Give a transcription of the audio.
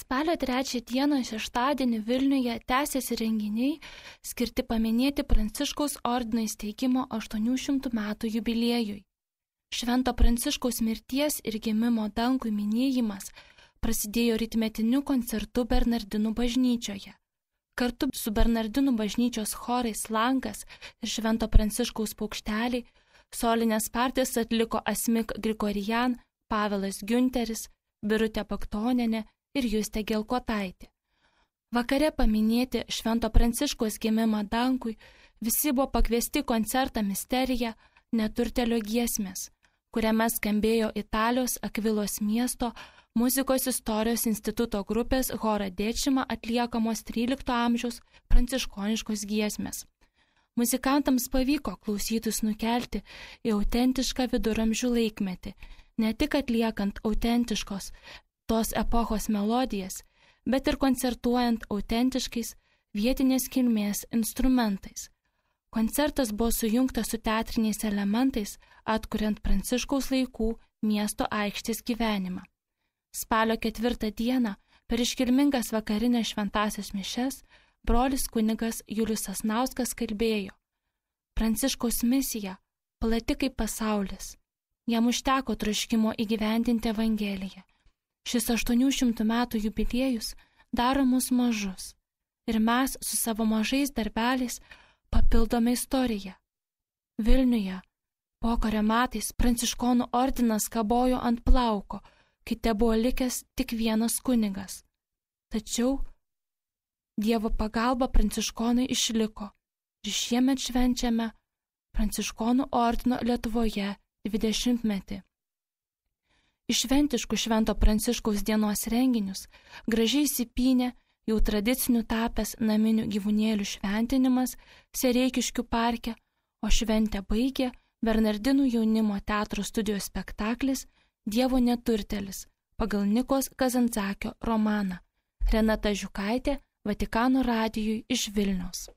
Spalio 3 dieną šeštadienį Vilniuje tęsiasi renginiai skirti paminėti Pranciškaus ordino įsteigimo 800 metų jubiliejui. Švento Pranciškaus mirties ir gimimo dangui minėjimas prasidėjo rytmetiniu koncertu Bernardinų bažnyčioje. Kartu su Bernardinų bažnyčios chorais Langas ir Švento Pranciškaus paukšteliai solinės partijas atliko Asmik Grigorian, Pavelas Giunteris, Birutė Paktonienė ir Justė Gelkotaitė. Vakare paminėti Švento Pranciškaus gimimą dangui visi buvo pakviesti koncertą Misterija Neturtelio giesmės, kuriame skambėjo Italijos Akvilos miesto muzikos istorijos instituto grupės Hora Dečima atliekamos 13 amžiaus pranciškoniškos giesmės. Muzikantams pavyko klausytus nukelti į autentišką viduramžių laikmetį, ne tik atliekant autentiškos tos epochos melodijas, bet ir koncertuojant autentiškais vietinės kilmės instrumentais. Koncertas buvo sujungtas su teatriniais elementais, atkuriant Pranciškaus laikų miesto aikštės gyvenimą. Spalio 4 dieną per iškilmingas vakarinės šventąsias mišias brolis kunigas Julius Sasnauskas kalbėjo: Pranciškaus misija plati kaip pasaulis. Jam užteko troškimo įgyvendinti Evangeliją. Šis 800 metų jubiliejus daro mus mažus ir mes su savo mažais darbeliais papildome istoriją. Vilniuje pokario metais Pranciškonų ordinas kabojo ant plauko, kai te buvo likęs tik vienas kunigas. Tačiau Dievo pagalba Pranciškonai išliko ir šiemet švenčiame Pranciškonų ordino Lietuvoje 20-metį. Iš šventiškų Švento Pranciškaus dienos renginius gražiai įsipynė jau tradicinių tapęs naminių gyvūnėlių šventinimas Sereikiškių parke, o šventę baigė Bernardinų jaunimo teatro studijos spektaklis Dievo neturtelis pagal Nikos Kazantzakio romaną. Renata Žiukaitė, Vatikano radijui iš Vilniaus.